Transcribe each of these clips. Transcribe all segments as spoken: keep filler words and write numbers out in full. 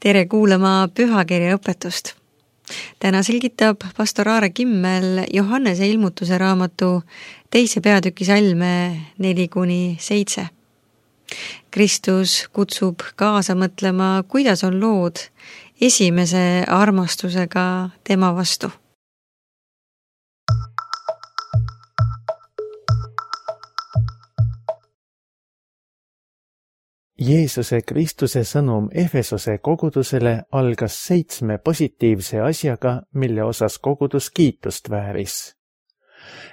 Tere kuulama pühakirja õpetust. Täna selgitab pastor Aare Kimmel Johannese ilmutuse raamatu teise peatüki salme neli kuni seitse. Kristus kutsub kaasa mõtlema, kuidas on lood esimese armastusega tema vastu. Jeesuse Kristuse sõnum Efesose kogudusele algas seitsme positiivse asjaga, mille osas kogudus kiitust vääris.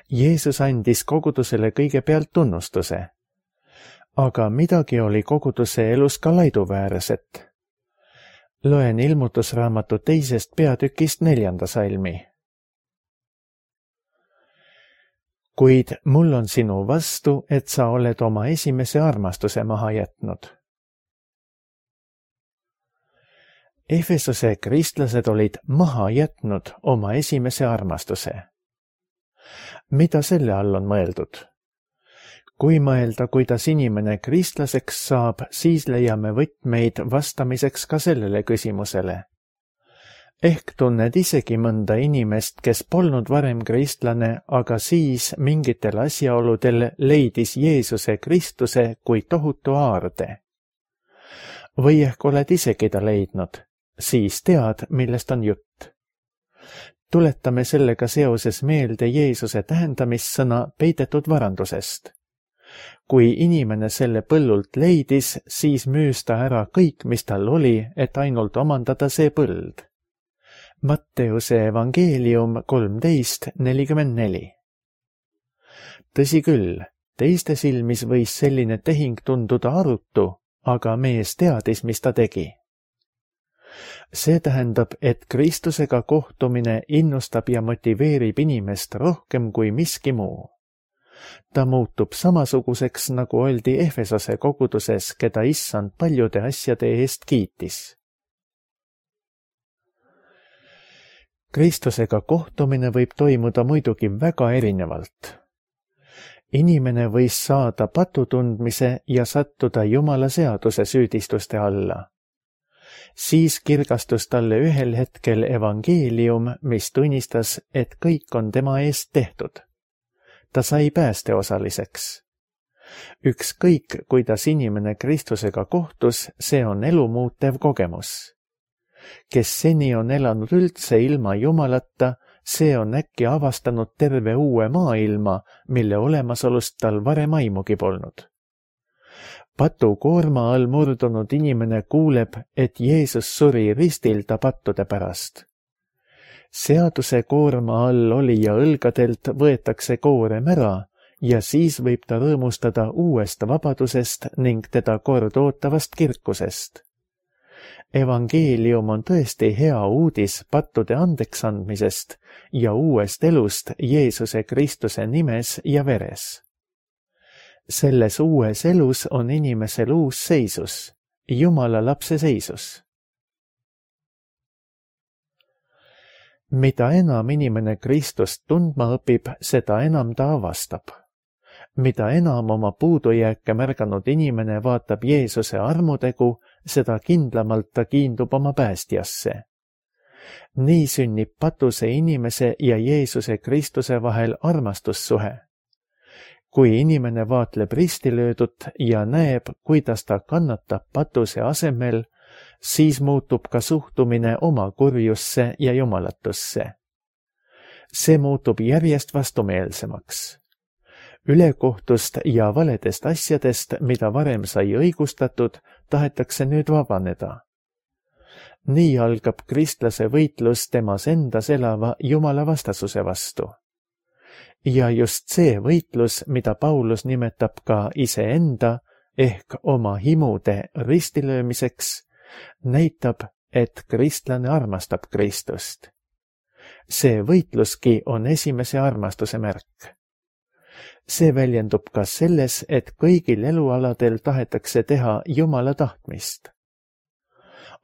Jeesus andis kogudusele kõigepealt tunnustuse. Aga midagi oli koguduse elus ka laiduväärset. Loen ilmutusraamatu teisest peatükist neljanda salmi. Kuid mul on sinu vastu, et sa oled oma esimese armastuse maha jätnud. Efesose kristlased olid maha jätnud oma esimese armastuse. Mida selle all on mõeldud? Kui mõelda, kuidas inimene kristlaseks saab, siis leiame võtmeid vastamiseks ka sellele küsimusele. Ehk tunned isegi mõnda inimest, kes polnud varem kristlane, aga siis mingitel asjaoludel leidis Jeesuse Kristuse kui tohutu aarde. Või ehk oled isegi ta leidnud, siis tead, millest on jutt. Tuletame sellega seoses meelde Jeesuse tähendamissõna peidetud varandusest. Kui inimene selle põllult leidis, siis müüs ta ära kõik, mis tal oli, et ainult omandada see põld. Matteuse evangeelium kolmteist nelikümmend neli. Tõsi küll, teiste silmis võis selline tehing tunduda arutu, aga mees teadis, mis ta tegi. See tähendab, et Kristusega kohtumine innustab ja motiveerib inimest rohkem kui miski muu. Ta muutub samasuguseks, nagu oldi Efesose koguduses, keda issand paljude asjade eest kiitis. Kristusega kohtumine võib toimuda muidugi väga erinevalt. Inimene võis saada patutundmise ja sattuda Jumala seaduse süüdistuste alla. Siis kirgastus talle ühel hetkel evangeelium, mis tunnistas, et kõik on tema eest tehtud. Ta sai päästeosaliseks. Ükskõik, kuidas inimene Kristusega kohtus, see on elumuutev kogemus. Kes seni on elanud üldse ilma Jumalata, see on äkki avastanud terve uue maailma, mille olemasolust tal varem aimugi polnud. Patu koorma all murdunud inimene kuuleb, et Jeesus suri ristil ta pattude pärast. Seaduse koorma all olija õlgadelt võetakse koorem ära ja siis võib ta rõõmustada uuest vabadusest ning teda kord ootavast kirkusest. Evangeelium on tõesti hea uudis pattude andeks andmisest ja uuest elust Jeesuse Kristuse nimes ja veres. Selles uues elus on inimesel uus seisus, Jumala lapse seisus. Mida enam inimene Kristust tundma õpib, seda enam ta avastab. Mida enam oma puudujääke märganud inimene vaatab Jeesuse armutegu, seda kindlamalt ta kiindub oma päästjasse. Nii sünnib patuse inimese ja Jeesuse Kristuse vahel armastussuhe. Kui inimene vaatleb ristilöödut ja näeb, kuidas ta kannatab patuse asemel, siis muutub ka suhtumine oma kurjusse ja jumalatusse. See muutub järjest vastumeelsemaks. Ülekohtust ja valedest asjadest, mida varem sai õigustatud, tahetakse nüüd vabaneda. Nii algab kristlase võitlus temas endas elava Jumala vastasuse vastu. Ja just see võitlus, mida Paulus nimetab ka iseenda ehk oma himude ristilöömiseks, näitab, et kristlane armastab Kristust. See võitluski on esimese armastuse märk. See väljendub ka selles, et kõigil elualadel tahetakse teha Jumala tahtmist.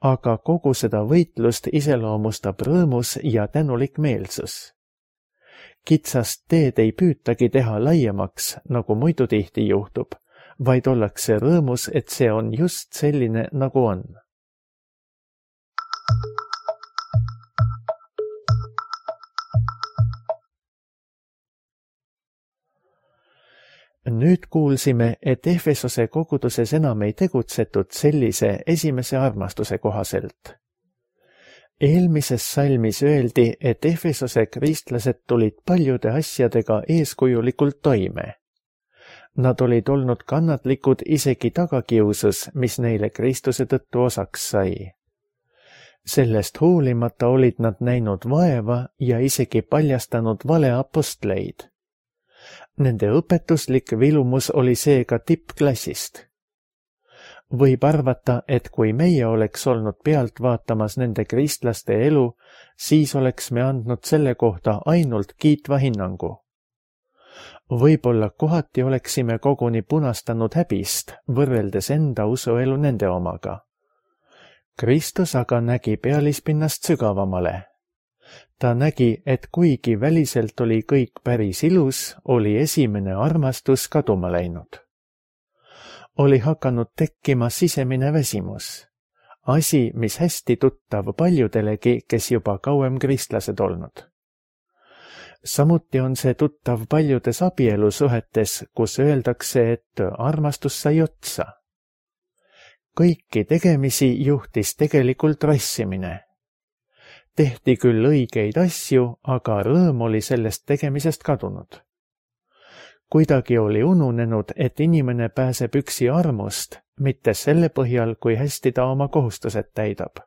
Aga kogu seda võitlust iseloomustab rõõmus ja tänulik meelsus. Kitsast teed ei püütagi teha laiemaks, nagu muidu tihti juhtub, vaid ollakse rõõmus, et see on just selline, nagu on. nüüd kuulsime, et Efesose koguduses enam ei tegutsetud sellise esimese armastuse kohaselt. Eelmises salmis öeldi, et Efesose kristlased tulid paljude asjadega eeskujulikult toime. Nad olid olnud kannatlikud isegi tagakiusus, mis neile Kristuse tõttu osaks sai. Sellest hoolimata olid nad näinud vaeva ja isegi paljastanud valeapostleid. Nende õpetuslik vilumus oli seega tippklassist. Võib arvata, et kui meie oleks olnud pealt vaatamas nende kristlaste elu, siis oleks me andnud selle kohta ainult kiitva hinnangu. Võib-olla kohati oleksime koguni punastanud häbist, võrreldes enda usuelu nende omaga. Kristus aga nägi pealispinnast sügavamale. Ta nägi, et kuigi väliselt oli kõik päris ilus, oli esimene armastus kaduma läinud. Oli hakanud tekkima sisemine väsimus. Asi, mis hästi tuttav paljudelegi, kes juba kauem kristlased olnud. Samuti on see tuttav paljudes abielusuhetes, kus öeldakse, et armastus sai otsa. Kõiki tegemisi juhtis tegelikult rassimine. Tehti küll õigeid asju, aga rõõm oli sellest tegemisest kadunud. Kuidagi oli ununenud, et inimene pääseb üksi armust, mitte selle põhjal, kui hästi ta oma kohustused täidab.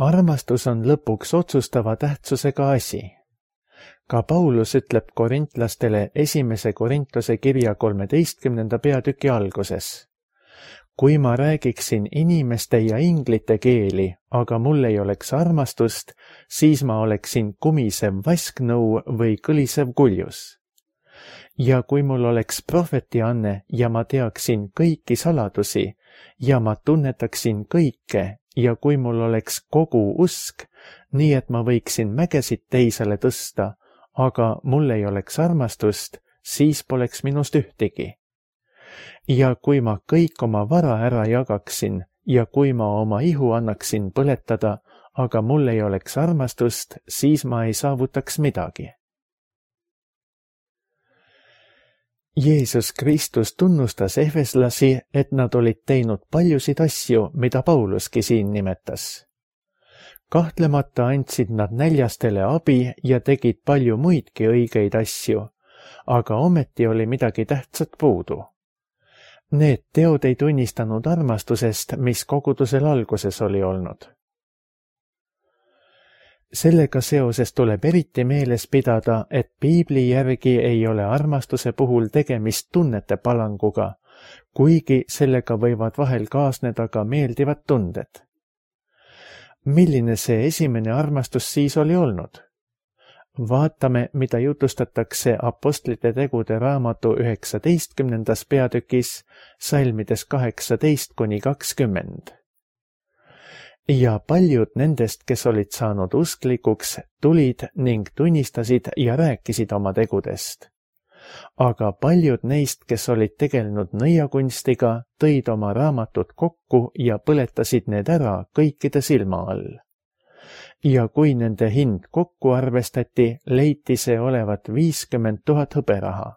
Armastus on lõpuks otsustava tähtsusega asi. Ka Paulus ütleb korintlastele esimese Korintlase kirja kolmeteistkümnenda peatüki alguses. Kui ma räägiksin inimeste ja inglite keeli, aga mul ei oleks armastust, siis ma oleksin kumisev vasknõu või kõlisev kuljus. Ja kui mul oleks prohvetianne ja ma teaksin kõiki saladusi ja ma tunnetaksin kõike ja kui mul oleks kogu usk, nii et ma võiksin mägesid teisele tõsta, aga mul ei oleks armastust, siis poleks minust ühtegi. Ja kui ma kõik oma vara ära jagaksin ja kui ma oma ihu annaksin põletada, aga mul ei oleks armastust, siis ma ei saavutaks midagi. Jeesus Kristus tunnustas efeslasi, et nad olid teinud paljusid asju, mida Pauluski siin nimetas. Kahtlemata andsid nad näljastele abi ja tegid palju muidki õigeid asju, aga ometi oli midagi tähtsat puudu. Need teod ei tunnistanud armastusest, mis kogudusel alguses oli olnud. Sellega seoses tuleb eriti meeles pidada, et piibli järgi ei ole armastuse puhul tegemist tunnete palanguga, kuigi sellega võivad vahel kaasneda ka meeldivad tunded. Milline see esimene armastus siis oli olnud? Vaatame, mida jutustatakse Apostlite tegude raamatu üheksateistkümnendas peatükis, salmides kaheksateist kuni kakskümmend. Ja paljud nendest, kes olid saanud usklikuks, tulid ning tunnistasid ja rääkisid oma tegudest. Aga paljud neist, kes olid tegelenud nõiakunstiga, tõid oma raamatud kokku ja põletasid need ära kõikide silma all. Ja kui nende hind kokku arvestati, leiti see olevat viiskümmend tuhat hõberaha.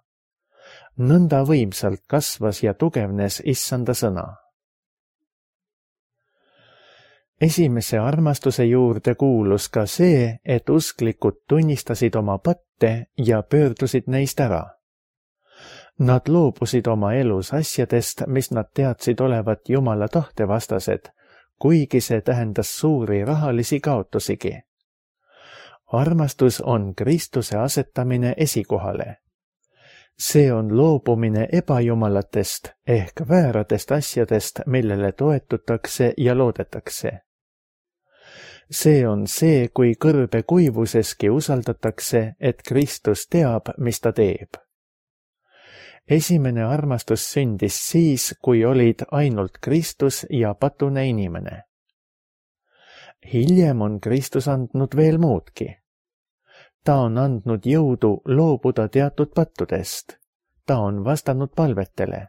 Nõnda võimsalt kasvas ja tugevnes issanda sõna. Esimese armastuse juurde kuulus ka see, et usklikud tunnistasid oma patte ja pöördusid neist ära. Nad loobusid oma elus asjadest, mis nad teadsid olevat Jumala tahtevastased, kuigi see tähendas suuri rahalisi kaotusigi. Armastus on Kristuse asetamine esikohale. See on loobumine ebajumalatest ehk vääradest asjadest, millele toetutakse ja loodetakse. See on see, kui kõrbe kuivuseski usaldatakse, et Kristus teab, mis ta teeb. Esimene armastus sündis siis, kui olid ainult Kristus ja patune inimene. Hiljem on Kristus andnud veel muudki. Ta on andnud jõudu loobuda teatud pattudest. Ta on vastanud palvetele.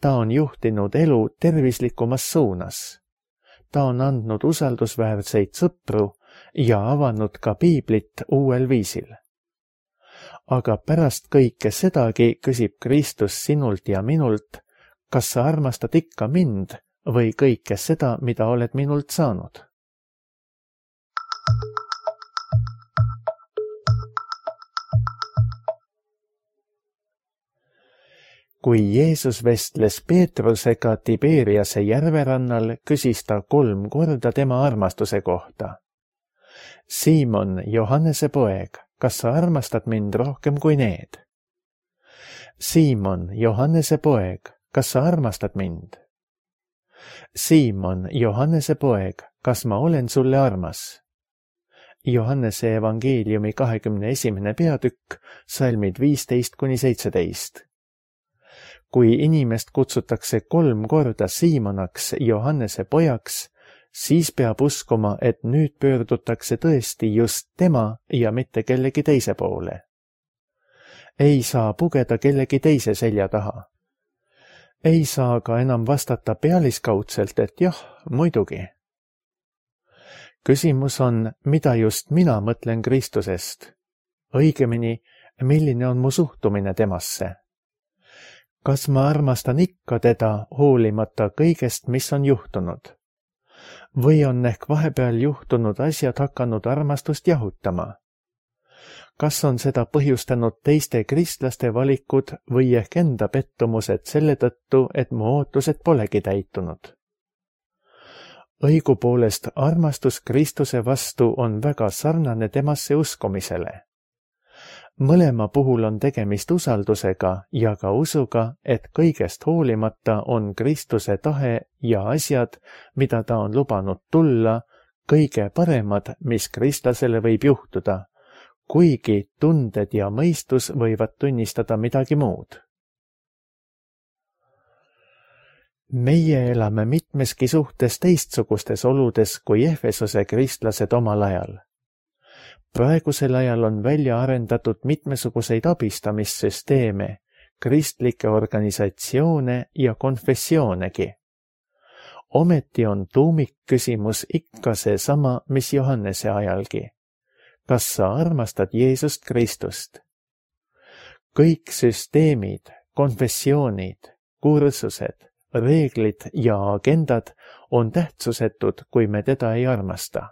Ta on juhtinud elu tervislikumas suunas. Ta on andnud usaldusväärseid sõpru ja avanud ka piiblit uuel viisil. aga pärast kõike sedagi küsib Kristus sinult ja minult, kas sa armastad ikka mind või kõike seda, mida oled minult saanud. Kui Jeesus vestles Peetrusega Tiberiase järverannal, küsis ta kolm korda tema armastuse kohta. Siimon, Johannese poeg, kas sa armastad mind rohkem kui need? Siimon, Johannese poeg, kas sa armastad mind? Siimon, Johannese poeg, kas ma olen sulle armas? Johannese evangeeliumi kahekümne esimene peatükk, salmid viisteist kuni seitseteist. Kui inimest kutsutakse kolm korda Siimonaks, Johannese pojaks, siis peab uskuma, et nüüd pöördutakse tõesti just tema ja mitte kellegi teise poole. Ei saa pugeda kellegi teise selja taha. Ei saa ka enam vastata pealiskaudselt, et jah, muidugi. Küsimus on, mida just mina mõtlen Kristusest. Õigemini, milline on mu suhtumine temasse. Kas ma armastan ikka teda hoolimata kõigest, mis on juhtunud? Või on ehk vahepeal juhtunud asjad hakanud armastust jahutama? Kas on seda põhjustanud teiste kristlaste valikud või ehk enda pettumused selle tõttu, et mu ootused polegi täitunud? Õigupoolest armastus Kristuse vastu on väga sarnane temasse uskumisele. Mõlema puhul on tegemist usaldusega ja ka usuga, et kõigest hoolimata on Kristuse tahe ja asjad, mida ta on lubanud tulla, kõige paremad, mis kristlasele võib juhtuda, kuigi tunded ja mõistus võivad tunnistada midagi muud. Meie elame mitmeski suhtes teistsugustes oludes kui Efesose kristlased omal ajal. Praegusel ajal on välja arendatud mitmesuguseid abistamissüsteeme, kristlikke organisatsioone ja konfessioonegi. Ometi on tuumikküsimus ikka seesama, mis Johannese ajalgi. Kas sa armastad Jeesust Kristust? Kõik süsteemid, konfessioonid, kursused, reeglid ja agendad on tähtsusetud, kui me teda ei armasta.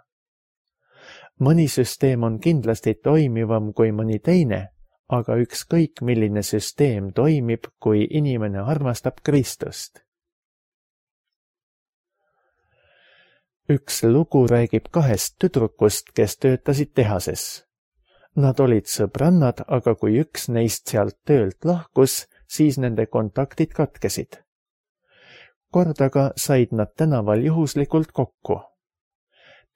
Mõni süsteem on kindlasti toimivam kui mõni teine, aga ükskõik milline süsteem toimib, kui inimene armastab Kristust. Üks lugu räägib kahest tüdrukust, kes töötasid tehases. Nad olid sõbrannad, aga kui üks neist sealt töölt lahkus, siis nende kontaktid katkesid. Kordaga said nad tänaval juhuslikult kokku.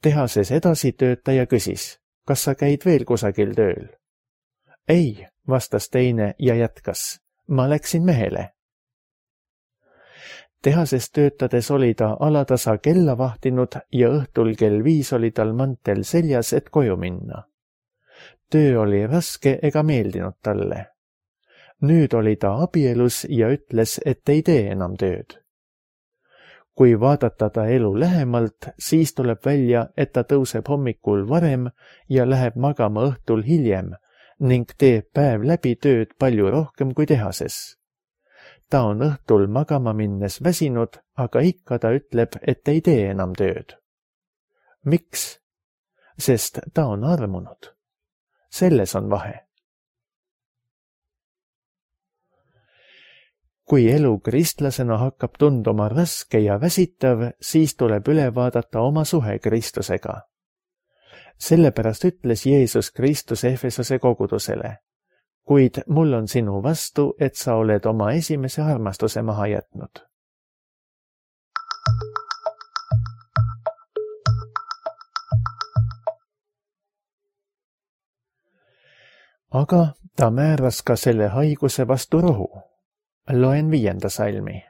Tehases edasi töötaja küsis, kas sa käid veel kusagil tööl? Ei, vastas teine ja jätkas, ma läksin mehele. Tehases töötades oli ta alatasa kella vahtinud ja õhtul kell viis oli tal mantel seljas, et koju minna. Töö oli raske ega meeldinud talle. Nüüd oli ta abielus ja ütles, et ei tee enam tööd. Kui vaadata ta elu lähemalt, siis tuleb välja, et ta tõuseb hommikul varem ja läheb magama õhtul hiljem ning teeb päev läbi tööd palju rohkem kui tehases. Ta on õhtul magama minnes väsinud, aga ikka ta ütleb, et ei tee enam tööd. Miks? Sest ta on armunud. Selles on vahe. Kui elu kristlasena hakkab tunduma raske ja väsitav, siis tuleb üle vaadata oma suhe Kristusega. Sellepärast ütles Jeesus Kristus Efesose kogudusele, kuid mul on sinu vastu, et sa oled oma esimese armastuse maha jätnud. Aga ta määras ka selle haiguse vastu rohu. Loen viienda salmi.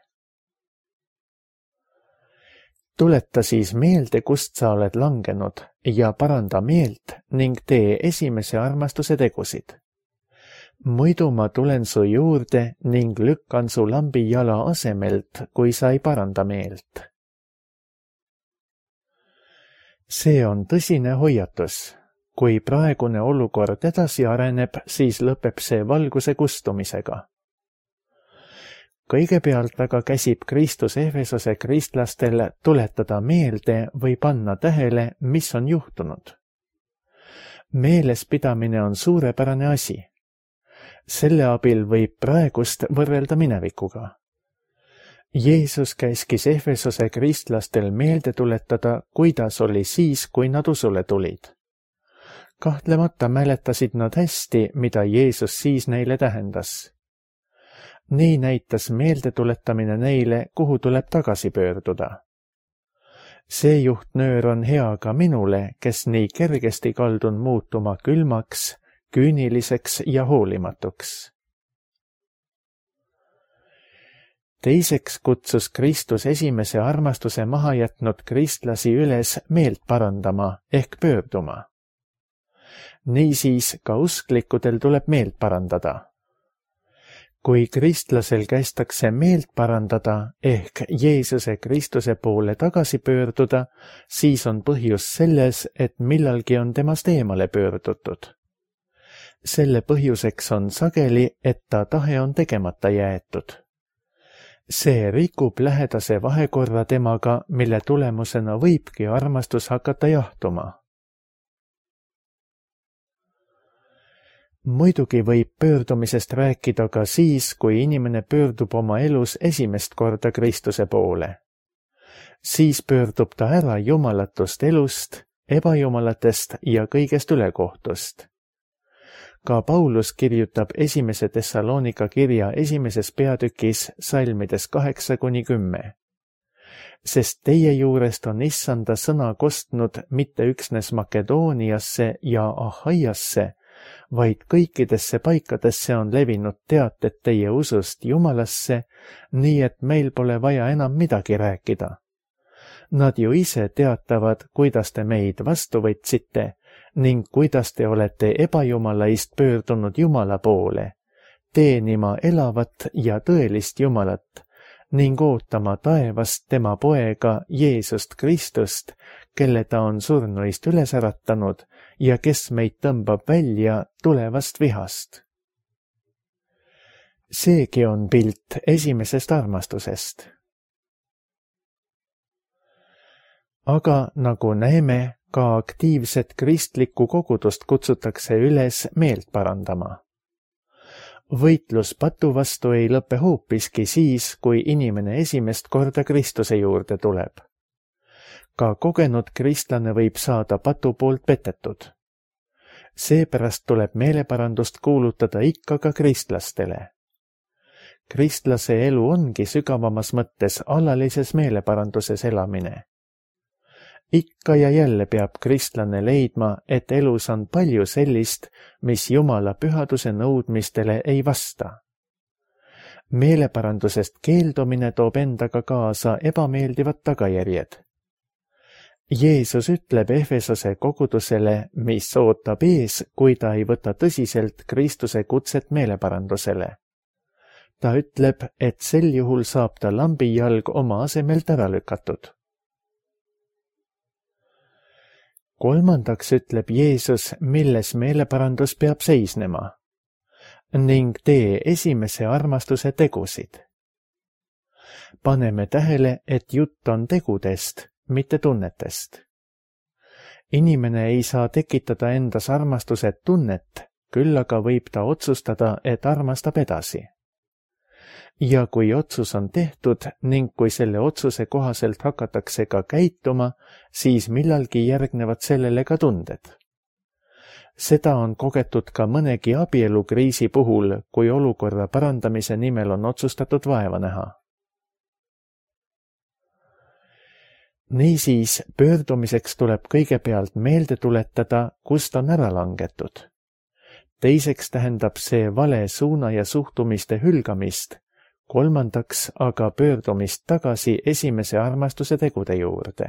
Tuleta siis meelde, kust sa oled langenud ja paranda meelt ning tee esimese armastuse tegusid. Muidu ma tulen su juurde ning lükkan su lambi jala asemelt, kui sa ei paranda meelt. See on tõsine hoiatus. kui praegune olukord edasi areneb, siis lõpeb see valguse kustumisega. Kõigepealt aga käsib Kristus Efesose kristlastel tuletada meelde või panna tähele, mis on juhtunud. Meelespidamine on suurepärane asi. Selle abil võib praegust võrrelda minevikuga. Jeesus käskis Efesose kristlastel meelde tuletada, kuidas oli siis, kui nad usule tulid. Kahtlemata mäletasid nad hästi, mida Jeesus siis neile tähendas. Nii näitas meeldetuletamine neile, kuhu tuleb tagasi pöörduda. See juhtnöör on hea ka minule, kes nii kergesti kaldun muutuma külmaks, küüniliseks ja hoolimatuks. Teiseks kutsus Kristus esimese armastuse maha jätnud kristlasi üles meelt parandama ehk pöörduma. Niisiis ka usklikudel tuleb meelt parandada. Kui kristlasel kästakse meelt parandada ehk Jeesuse Kristuse poole tagasi pöörduda, siis on põhjus selles, et millalgi on temast eemale pöördutud. Selle põhjuseks on sageli, et ta tahe on tegemata jäetud. See rikub lähedase vahekorra temaga, mille tulemusena võibki armastus hakata jahtuma. Muidugi võib pöördumisest rääkida ka siis, kui inimene pöördub oma elus esimest korda Kristuse poole. Siis pöördub ta ära jumalatust elust, ebajumalatest ja kõigest ülekohtust. Ka Paulus kirjutab esimese Thessalonika kirja esimeses peatükis salmides kaheksa kuni kümme. Sest teie juurest on issanda sõna kostnud mitte üksnes Makedooniasse ja Ahaiasse, vaid kõikidesse paikadesse on levinud teated teie usust Jumalasse, nii et meil pole vaja enam midagi rääkida. Nad ju ise teatavad, kuidas te meid vastu võtsite ning kuidas te olete ebajumalaist pöördunud Jumala poole, teenima elavat ja tõelist Jumalat ning ootama taevast tema poega Jeesust Kristust, kelle ta on surnuist üles äratanud ja kes meid tõmbab välja tulevast vihast. Seegi on pilt esimesest armastusest. Aga nagu näeme, ka aktiivset kristlikku kogudust kutsutakse üles meelt parandama. Võitlus patu vastu ei lõpe hoopiski siis, kui inimene esimest korda Kristuse juurde tuleb. Ka kogenud kristlane võib saada patu poolt petetud. Seepärast tuleb meeleparandust kuulutada ikka ka kristlastele. Kristlase elu ongi sügavamas mõttes alalises meeleparanduses elamine. Ikka ja jälle peab kristlane leidma, et elus on palju sellist, mis Jumala pühaduse nõudmistele ei vasta. Meeleparandusest keeldumine toob endaga kaasa ebameeldivad tagajärjed. Jeesus ütleb Efesose kogudusele, mis ootab ees, kui ta ei võta tõsiselt Kristuse kutset meeleparandusele. Ta ütleb, et sel juhul saab ta lambijalg oma asemelt ära lükatud. Kolmandaks ütleb Jeesus, milles meeleparandus peab seisnema, ning tee esimese armastuse tegusid. Paneme tähele, et jutt on tegudest, mitte tunnetest. Inimene ei saa tekitada endas armastuse tunnet, küll aga võib ta otsustada, et armastab edasi. Ja kui otsus on tehtud ning kui selle otsuse kohaselt hakatakse ka käituma, siis millalgi järgnevad sellele ka tunded. Seda on kogetud ka mõnegi abielukriisi puhul, kui olukorra parandamise nimel on otsustatud vaeva näha. Niisiis, pöördumiseks tuleb kõigepealt meelde tuletada, kust on ära langetud. Teiseks tähendab see vale suuna ja suhtumiste hülgamist, kolmandaks aga pöördumist tagasi esimese armastuse tegude juurde.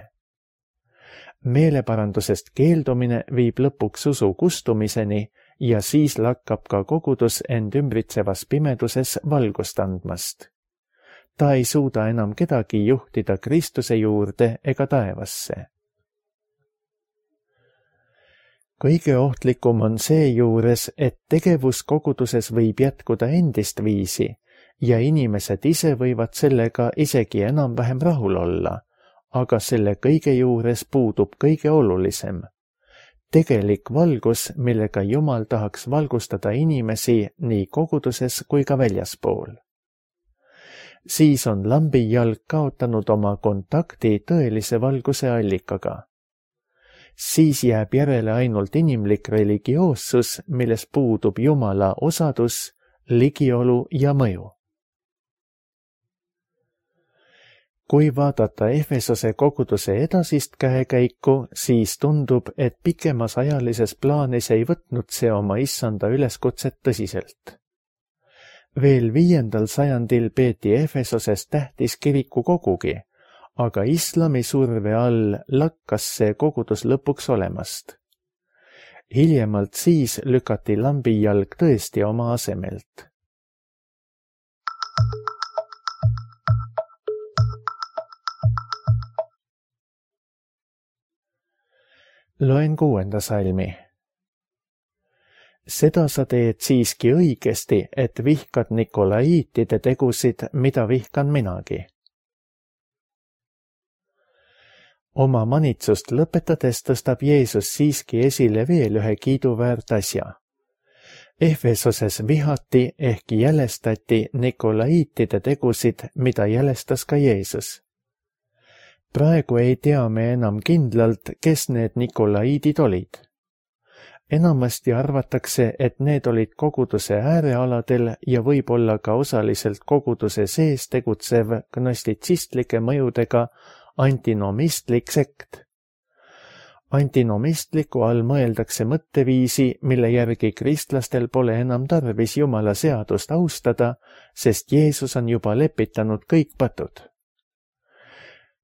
Meeleparandusest keeldumine viib lõpuks usu kustumiseni ja siis lakkab ka kogudus end ümbritsevas pimeduses valgust andmast. Ta ei suuda enam kedagi juhtida Kristuse juurde ega taevasse. kõige ohtlikum on seejuures, et tegevus koguduses võib jätkuda endist viisi ja inimesed ise võivad sellega isegi enam-vähem rahul olla, aga selle kõige juures puudub kõige olulisem. Tegelik valgus, millega Jumal tahaks valgustada inimesi nii koguduses kui ka väljaspool. Siis on lambijalg kaotanud oma kontakti tõelise valguse allikaga. Siis jääb järele ainult inimlik religioossus, milles puudub Jumala osadus, ligiolu ja mõju. Kui vaadata Efesose koguduse edasist käekäiku, siis tundub, et pikemas ajalises plaanis ei võtnud see oma issanda üleskutset tõsiselt. Veel viiendal sajandil peeti Efesoses tähtis kirikukogugi, aga islami surve all lakkas see kogudus lõpuks olemast. Hiljemalt siis lükati lambijalg tõesti oma asemelt. Loen kuuenda salmi. Seda sa teed siiski õigesti, et vihkad Nikolaiitide tegusid, mida vihkan minagi. Oma manitsust lõpetades tõstab Jeesus siiski esile veel ühe kiiduväärt asja. Efesoses vihati ehk jälestati Nikolaiitide tegusid, mida jälestas ka Jeesus. Praegu ei tea me enam kindlalt, kes need Nikolaiidid olid. Enamasti arvatakse, et need olid koguduse äärealadel ja võib-olla ka osaliselt koguduse sees tegutsev gnostitsistlike mõjudega antinomistlik sekt. Antinomistliku all mõeldakse mõtteviisi, mille järgi kristlastel pole enam tarvis Jumala seadust austada, sest Jeesus on juba lepitanud kõik patud.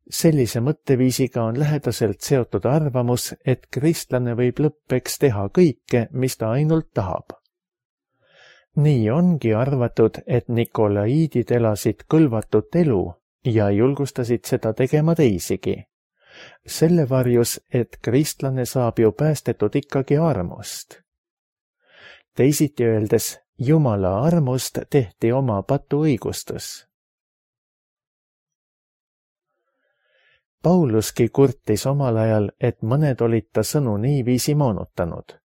Sellise mõtteviisiga on lähedaselt seotud arvamus, et kristlane võib lõppeks teha kõike, mis ta ainult tahab. Nii ongi arvatud, et Nikolaiidid elasid kõlvatut elu ja julgustasid seda tegema teisigi. Selle varjus, et kristlane saab ju päästetud ikkagi armust. Teisiti öeldes, Jumala armust tehti oma patu õigustus. Pauluski kurtis omal ajal, et mõned olid ta sõnu niiviisi moonutanud.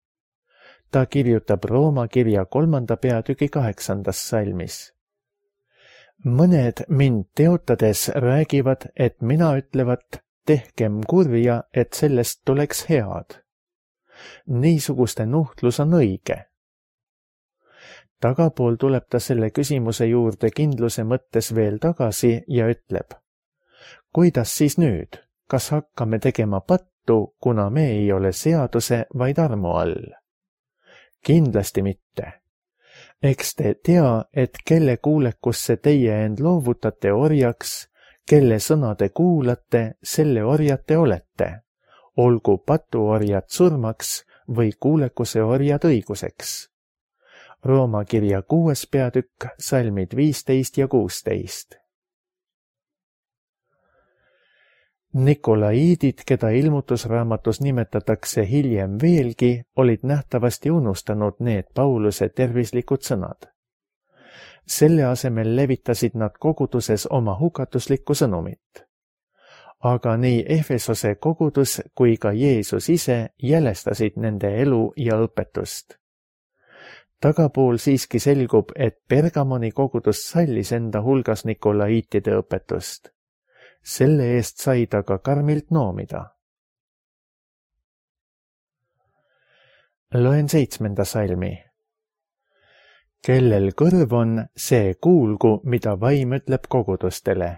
Ta kirjutab Rooma kirja kolmanda peatüki kaheksandas salmis. Mõned mind teotades räägivad, et mina ütlevat, tehkem kurja, et sellest tuleks head. Niisuguste nuhtlus on õige. Tagapool tuleb ta selle küsimuse juurde kindluse mõttes veel tagasi ja ütleb. Kuidas siis nüüd? Kas hakkame tegema pattu, kuna me ei ole seaduse, vaid armu all? Kindlasti mitte. Eks te tea, et kelle kuulekusse teie end loovutate orjaks, kelle sõna te kuulate, selle orjad te olete. Olgu patuorjad surmaks või kuulekuse orjad õiguseks. Rooma kirja kuues peatükk, salmid viisteist ja kuusteist. Nikolaiidid, keda ilmutusraamatus nimetatakse hiljem veelgi, olid nähtavasti unustanud need Pauluse tervislikud sõnad. Selle asemel levitasid nad koguduses oma hukatuslikku sõnumit. Aga nii Efesose kogudus kui ka Jeesus ise jälestasid nende elu ja õpetust. Tagapool siiski selgub, et Pergamoni kogudus sallis enda hulgas Nikolaiitide õpetust. Selle eest sai ta ka karmilt noomida. Loen seitsmenda salmi. Kellel kõrv on, see kuulgu, mida vaim ütleb kogudustele.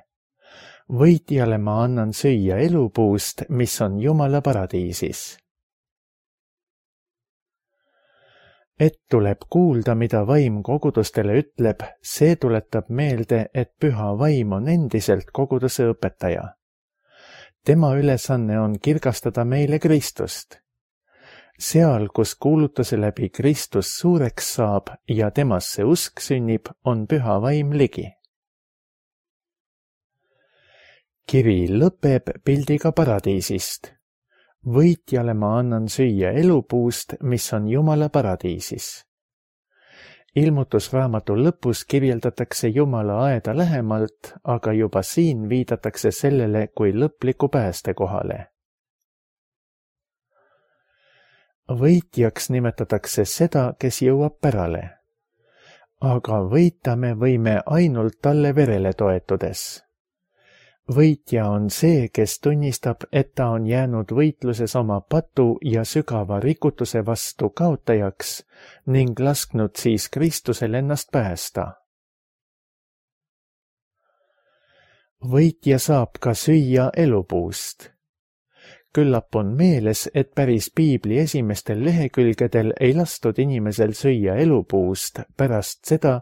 Võitjale ma annan süüa elupuust, mis on Jumala paradiisis. Et tuleb kuulda, mida vaim kogudustele ütleb, see tuletab meelde, et püha vaim on endiselt koguduse õpetaja. Tema ülesanne on kirgastada meile Kristust. Seal, kus kuulutuse läbi Kristus suureks saab ja temasse usk sünnib, on püha vaim ligi. Kiri lõpeb pildiga paradiisist. võitjale ma annan süüa elupuust, mis on Jumala paradiisis. Ilmutusraamatu lõpus kirjeldatakse Jumala aeda lähemalt, aga juba siin viidatakse sellele kui lõpliku päästekohale. Võitjaks nimetatakse seda, kes jõuab pärale. Aga võita me võime ainult talle verele toetudes. Võitja on see, kes tunnistab, et ta on jäänud võitluses oma patu ja sügava rikutuse vastu kaotajaks ning lasknud siis Kristusel ennast päästa. Võitja saab ka süüa elupuust. Küllap on meeles, et päris Piibli esimestel lehekülgedel ei lastud inimesel süüa elupuust pärast seda,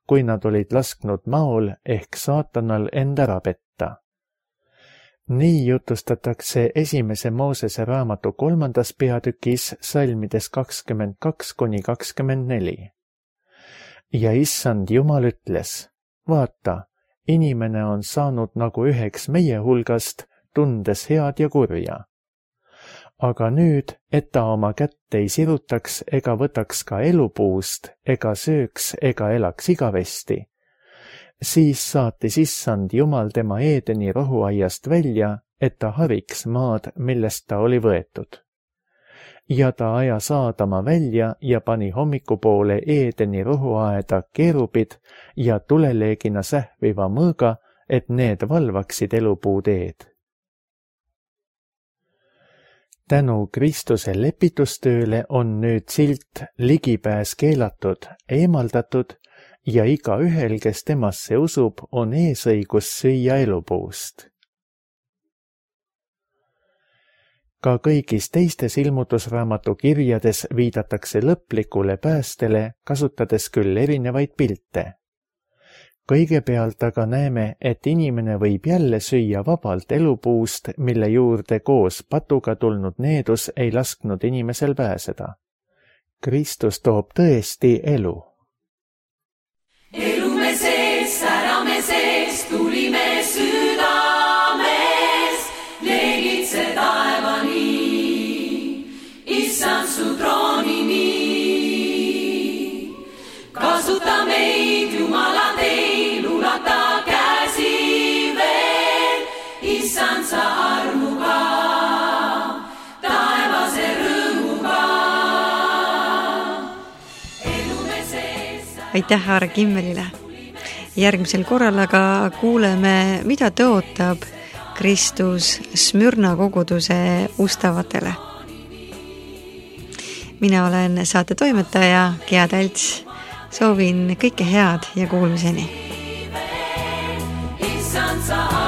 kui nad olid lasknud maol ehk saatanal end ära petta. Nii jutustatakse esimese Moosese raamatu kolmandas peatükis salmides kakskümmend kaks kuni kakskümmend neli. Ja issand Jumal ütles, vaata, inimene on saanud nagu üheks meie hulgast, tundes head ja kurja. Aga nüüd, et ta oma kätt ei sirutaks ega võtaks ka elupuust, ega sööks ega elaks igavesti, siis saatis issand Jumal tema Eedeni rohuaiast välja, et ta hariks maad, millest ta oli võetud. Ja ta ajas Aadama välja ja pani hommikupoole Eedeni rohuaeda keerubid ja tuleleegina sähviva mõõga, et need valvaksid elupuu teed. Tänu Kristuse lepitustööle on nüüd silt ligipääs keelatud, eemaldatud ja igaühel, kes temasse usub, on eesõigus süüa elupuust. Ka kõigis teistes ilmutusraamatu kirjades viidatakse lõplikule päästele, kasutades küll erinevaid pilte. Kõigepealt aga näeme, et inimene võib jälle süüa vabalt elupuust, mille juurde koos patuga tulnud needus ei lasknud inimesel pääseda. Kristus toob tõesti elu. Elume sees, särame sees, tulime südames, leegitse taevani, issand su troonini. Kasuta meid, Jumala teil, ulata käsi veel, issand sa armuga, taevase rõõmuga. Elume sees. Aitäh Aare Kimmelile. Järgmisel korral aga kuuleme, mida tõotab Kristus Smürna koguduse ustavatele. Mina olen saate toimetaja Gea Talts. Soovin kõike head ja kuulmiseni. Issand sa